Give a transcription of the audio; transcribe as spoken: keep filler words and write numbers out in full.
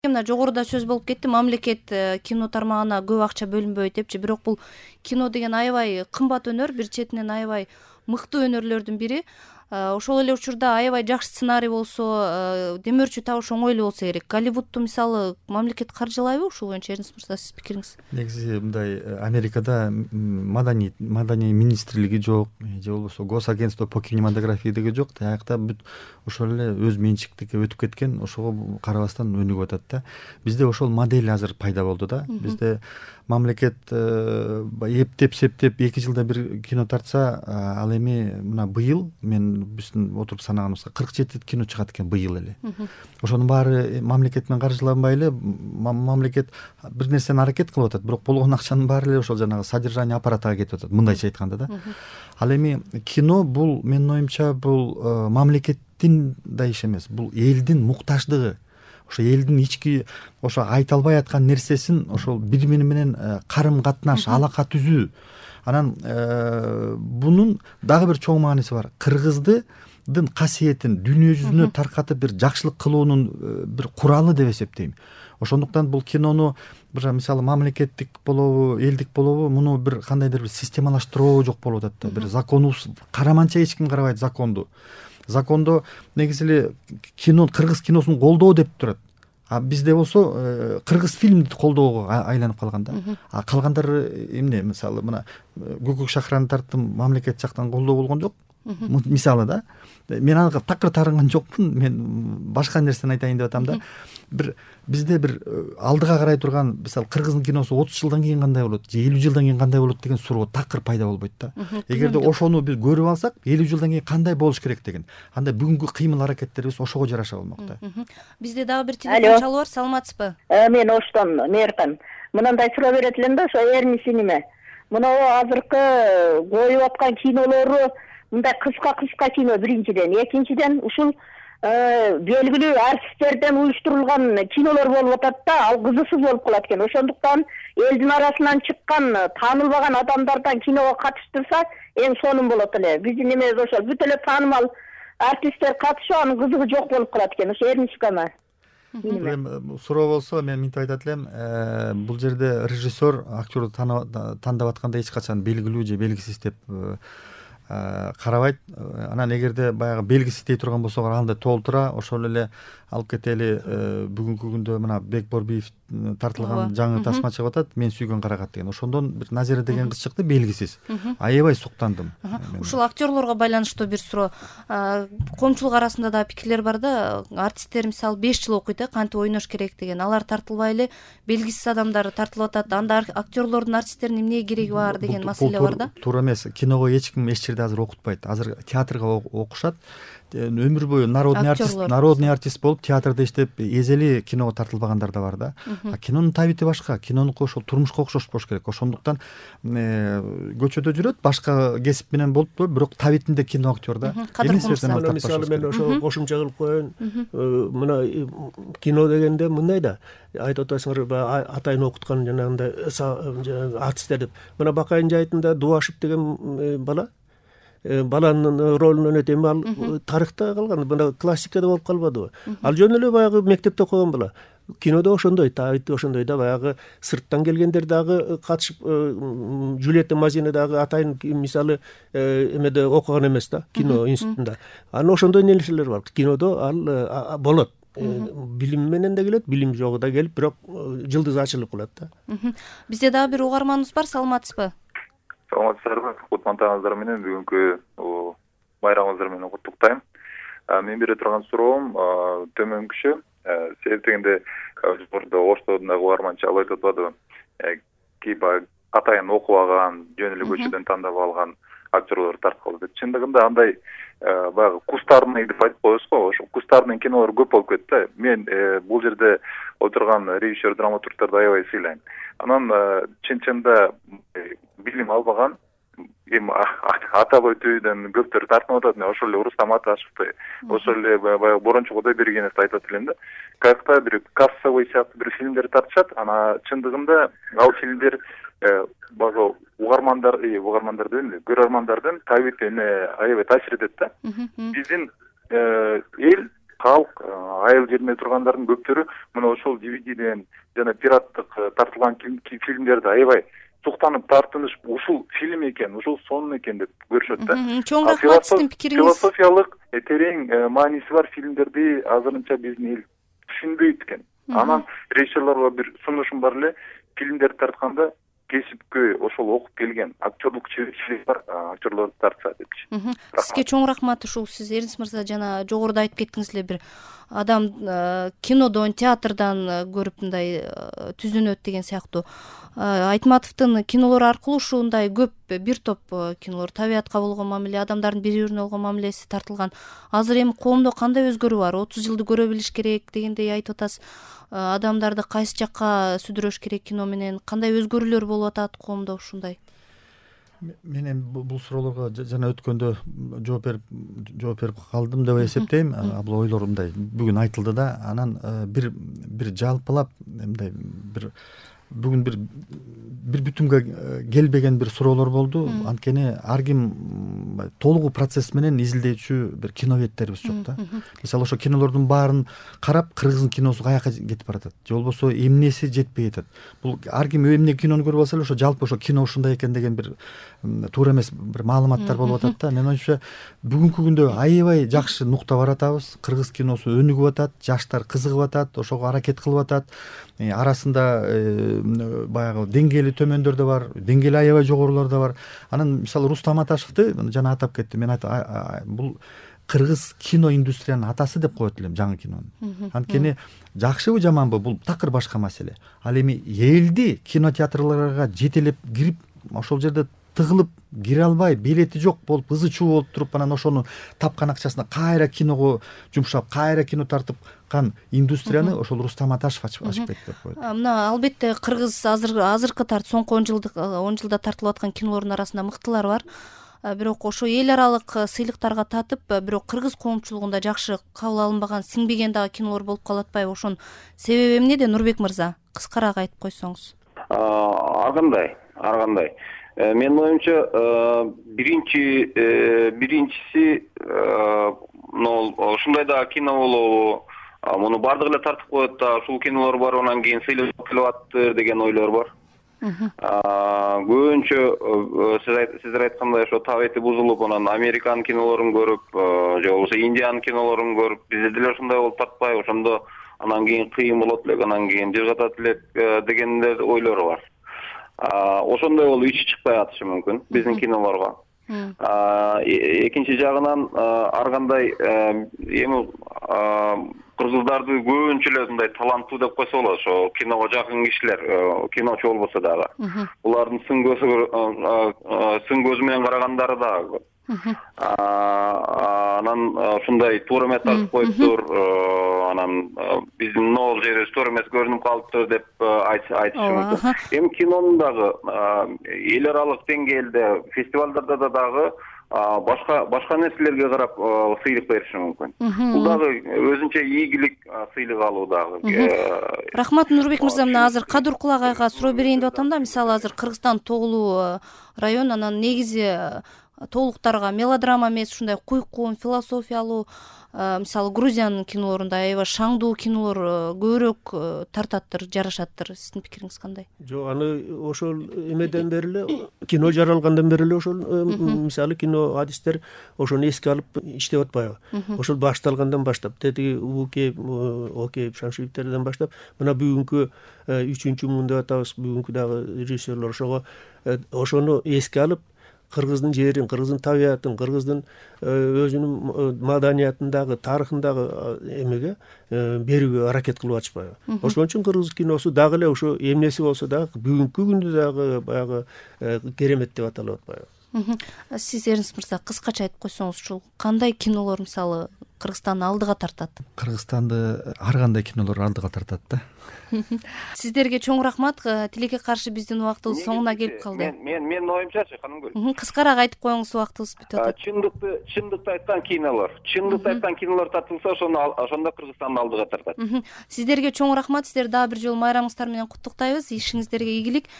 Мына жогоруда сөз болуп кетти, мамлекет кино тармагына көп акча бөлүнбөйт депчи, бирок бул кино деген аябай кымбат өнөр, бир четинен аябай мыкты өнөрлөрдүн бири. Ошол эле учурда аябай жакшы сценарий болсо, демөөрчү табыш оңой эле болсо керек. Голливудту мисалы мамлекет каржылайбы ушул боюнча? Эрнст мырза, сиздин пикириңиз? Негизи мындай, Америкада маданий маданий министрлиги жок, же болбосо госагентство по кинематографии деген жок. Таякта бүт ошол эле өз менчиктикке өтүп кеткен, ошого карабастан өнүгүп атат да. Бизде ошол модель азыр пайда болду да. Бизде мамлекет эптеп септеп эки жылда бир кино тартса, ал эми мына быйыл мен биздин отуруп санаганыбызга кырк жети кино чыгат экен быйыл эле. Ошонун баары мамлекет менен каржыланбай эле, мамлекет бир нерсени аракет кылып атат, бирок болгон акчанын баары эле ошол жанагы содержание аппаратына кетип атат, мындайча айтканда да. Ал эми кино бул, менин оюмча, бул мамлекеттин да иши эмес, бул элдин муктаждыгы. Ошо элдин ички ошо айта албай аткан нерсесин ошол бири бири менен карым катнаш, алака түзүү. Анан бунун дагы бир чоң мааниси бар. Кыргыздын касиетин дүйнө жүзүнө таркатып бир жакшылык кылуунун бир куралы деп эсептейм. Ошондуктан бул кинону бир мисалы мамлекеттик болобу, элдик болобу, муну бир кандайдыр бир системалаштыруу жок болуп атат да. Бир законубуз караманча эч ким карабайт законду. Закондо негизи эле кино, кыргыз киносун колдоо деп турат. А бизде болсо кыргыз фильмди колдоого айланып калган да. А калгандары эмне? Мисалы мына Көкөк шахраны тарттым, мамлекет жактан колдоо болгон жок. Мисалы да. Мен ага такыр тарынган жокмун. Мен башка нерсени айтайын деп атам да. Бир бизде бир алдыга карай турган, мисалы кыргыздын киносу отуз жылдан кийин кандай болот, же элүү жылдан кийин кандай болот деген суроо такыр пайда болбойт да. Эгерде ошону биз көрүп алсак, элүү жылдан кийин кандай болуш керек деген, анда бүгүнкү кыймыл аракеттерибиз ошого жараша болмок да. Бизде дагы бир телефон чалуу бар. Саламатсызбы? Мен Оштон Мээркан. Мындай суроо берет элем да, ошо Эрнисиниме. Мына азыркы коюп аткан кинолору мындай кыска-кыска кино биринчиден, экинчиден ушул белгилүү артисттерден уюштурулган кинолор болуп атат да, ал кызыксыз болуп калат экен. Ошондуктан элдин арасынан чыккан, таанылбаган адамдардан киного катыштырса, эң сонун болот эле. Биздин эмес ошол бүт эле таанымал артисттер катышып, анын кызыгы жок болуп калат экен. Ошо Эрнискама. Суроо болсо мен мынтип айтат элем, бул жерде режиссер актёрду тандап атканда эч качан белгилүү же белгисиз деп карабайт. Анан эгерде баягы белгиси тей турган болсо анда толтура, ошол эле алып кетели. Бүгүнкү күндө мына Бек Борбиев тартылган жаңы тасма чыгып атат, Мен сүйгөн карагат деген. Ошондон бир Назира деген кыз чыкты, белгисиз. Аябай суктандым. Ушул актерлорго байланыштуу бир суроо. Коомчулук арасында да пикирлер бар да, артисттер мисалы беш жыл окуйт, кантип ойнош керек деген. Алар тартылбай эле белгисиз адамдар тартылып атат. Анда актерлордун, артисттердин эмнеге кереги бар деген маселе бар да. Туура эмес. Киного эч ким эч жерде азыр окутпайт. Азыр театрга окушат. Өмүр бою народный артист, народный артист болуп театрда иштеп эзели киного тартылбагандар да бар да. А кинонун табити башка, кинонуку ошол турмушка окшош болуш керек. Ошондуктан көчөдө жүрөт, башка кесип менен болуп, бирок табитинде кино актер да. Мисалы мен ошо кошумча кылып коеюн. Мына кино дегенде мындай да, айтып атасыңар, атайын окуткан жанагындай артисттер деп. Мына Бакайын жайытында Дубашев деген бала баланын ролун өнөтөм, ал тарыхта калган, мына классикада болуп калбадыбы? Ал жөн эле баягы мектепте окуган бала. Кинодо ошондой, табити ошондой да, баягы сырттан келгендер дагы катышып, Жюльетта Мазина дагы атайын мисалы эмеде окуган эмес да, кино институтунда. Анан ошондой нерселер бар. Кинодо ал болот. Билим менен да келет, билим жогу да келип, бирок жылдыз ачылып калат да. Бизде дагы бир угарманыбыз бар. Саламатсызбы? Саламатсыздарбы? Кутмантаңыздар менен бүгүнкү байрамыңыздар менен куттуктайм. Мен бере турган суроом төмөнкүчө. Себеп дегенде жогоруда Оштодун дагы угарман чалып айтып атпадыбы? Кейп атайын окубаган, жөн эле көчөдөн тандап алган актерлор тарткылды деп. Чындыгында андай баягы кустарный деп айтып коебуз го, ошо кустарный кинолор көп болуп кетти. Мен бул жерде отурган режиссер, драматургтарды аябай сыйлайм. Анан чын-чында билим албаган, эми атап өтүүдөн көптөр тартынып атат. Ошол эле Рустам Аташевди, ошол эле баягы Борончу Кудайбергеновди айтып атат элем да. Каяктаа бир кассовый сыяктуу бир фильмдер тартышат. Ана чындыгында ал фильмдер баягы угармандар, угармандар дейм эле, көрөрмандардын табитине аябай таасир этет да. Биздин эл калк айыл жерине тургандардын көптөрү мына ошол ди ви диден жана пираттык тартылган фильмдерди аябай суктанып тартынышып ушул фильм экен, ушул сон экен деп көрүшөт да. Чоң рахмат сиздин пикириңиз. Философиялык терең мааниси бар фильмдерди азырынча биздин эл түшүнбөйт экен. Анан режиссерлорго бир сунушум бар эле, фильмдерди тартканда кесипкөй ошол окуп келген актерлук чеберчилиги бар актерлорду тартса депчи. Сизге чоң рахмат. Ушул сиз Эрнис мырза жана жогоруда айтып кеттиңиз эле, бир адам кинодон, театрдан көрүп мындай түзүнөт деген сыяктуу. Айтматовдун кинолору аркылуу ушундай көп бир топ кинолор, табиятка болгон мамиле, адамдардын бири бирине болгон мамилеси тартылган. Азыр эми коомдо кандай өзгөрүү бар? отуз жылды көрө билиш керек дегендей айтып атасыз. Адамдарды кайсы жакка сүдүрөш керек кино менен? Кандай өзгөрүүлөр болуп атат коомдо ушундай? Мен эми бул суроолорго жана өткөндө жооп берип жооп берип калдым деп эсептейм. Бул ойлор мындай бүгүн айтылды да, анан бир бир жалпылап мындай бир бүгүн бир бир бүтүнгө келбеген бир суроолор болду. Анткени ар ким толугу процесс менен изилдөөчү бир киноведтерибиз жок да. Мисалы ошо кинолордун баарын карап, кыргыздын киносу каяка кетип баратат, же болбосо эмнеси жетпей жатат. Бул ар ким эмне кинону көрүп алса эле ошо жалпы ошо кино ушундай экен деген бир туура эмес бир маалыматтар болуп атат да. Менин оюмча бүгүнкү күндө аябай жакшы нукта баратабыз. Кыргыз киносу өнүгүп атат, жаштар кызыгып атат, ошого аракет кылып атат. Арасында баягы деңгээли төмөндөр да бар, деңгээли аябай жогорулар да бар. Анан мисалы Рустам Аташевди жана атап кеттим. Мен бул кыргыз кино индустриянын атасы деп коет элем, жаңы кинонун. Анткени жакшыбы жаманбы бул такыр башка маселе. Ал эми элди кинотеатрларга жетелеп кирип, ошол жерде тыгылып кире албай, билети жок болуп, ызы чуу болуп туруп, анан ошону тапкан акчасына кайра киного жумшап, кайра кино тартып кан индустрияны ошол Рустам Аташев ачып берди деп коет. Мына албетте кыргыз азыр азыркы тарт соңку он жылдык он жылда тартылып аткан кинолордун арасында мыктылар бар. Бирок ошо эл аралык сыйлыктарга татып, бирок кыргыз коомчулугунда жакшы кабыл алынбаган, сиңбеген дагы кинолор болуп калып атпайбы? Ошонун себеби эмнеде, Нурбек мырза? Кыскараак айтып койсоңуз. Ар кандай, ар кандай. Менин оюмча биринчи биринчиси ушундай да кино болобу, муну бардыгы эле тартып коет да, ушул кинолор бар, анан кийин сыйлык келип атты деген ойлор бар. Көбүнчө сиздер айткандай ошо табети бузулуп, анан Американын кинолорун көрүп, же болбосо Индиянын кинолорун көрүп, бизде деле ушундай болуп татпайбы, ошондо анан кийин кыйын болот элек, анан кийин жыгатат элек дегендер ойлору бар. Ошондой болуп ичи чыкпай атышы мүмкүн биздин кинолорго. Экинчи жагынан ар кандай эми кыргыздарды көбүнчө эле мындай таланттуу деп койсо болот, ошо киного жакын кишилер, киночу болбосо дагы. Булардын сын көзү сын көзү менен карагандары дагы көп. Анан ушундай туура эмес тартып коюптур, анан биздин нол жерибиз туура эмес көрүнүп калыптыр деп айтышы мүмкүн. Эми кинонун дагы эл аралык деңгээлде, фестивалдарда да дагы башка башка нерселерге карап сыйлык бериши мүмкүн. Бул дагы өзүнчө ийгилик сыйлык алуу дагы. Рахмат, Нурбек мырза. Мына азыр Кадыр Кулагайга суроо берейин деп атам да. Мисалы азыр Кыргызстан тоолуу район, анан негизи тоолуктарга мелодрама эмес, ушундай куйкун, философиялуу, мисалы Грузиянын кинолорунда аябай шаңдуу кинолор көбүрөөк тартаттыр, жарашаттыр. Сиздин пикириңиз кандай? Жок, аны ошол эмеден бери эле, кино жаралгандан бери эле ошол мисалы кино адистер ошону эске алып иштеп атпайбы? Ошол башталгандан баштап, тетиги Укей, Окей, Шамшиевтерден баштап, мына бүгүнкү үчүнчү муун деп атабыз, бүгүнкү дагы режиссерлор ошого ошону эске алып, кыргыздын жерин, кыргыздын табиятын, кыргыздын өзүнүн маданиятындагы, тарыхындагы эмеге берүүгө аракет кылып атышпайбы? Ошон үчүн кыргыз киносу дагы эле ошо эмнеси болсо дагы бүгүнкү күндө дагы баягы керемет деп аталып атпайбы? Сиз Эрнис мырза кыскача айтып койсоңуз, ушул кандай кинолор мисалы Кыргызстанды алдыга тартат? Кыргызстанды ар кандай кинолор алдыга тартат да. Сиздерге чоң рахмат. Тилекке каршы биздин убактыбыз соңуна келип калды. Мен менин оюмчачы, Канымгүл. Кыскараак айтып коюңуз, убактыбыз бүтүп атат. Чындыкты, чындыкты айткан кинолор, чындыкты айткан кинолор тартылса, ошондо ошондо Кыргызстанды алдыга тартат. Сиздерге чоң рахмат. Сиздерди дагы бир жолу майрамыңыздар менен куттуктайбыз. Ишиңиздерге ийгилик.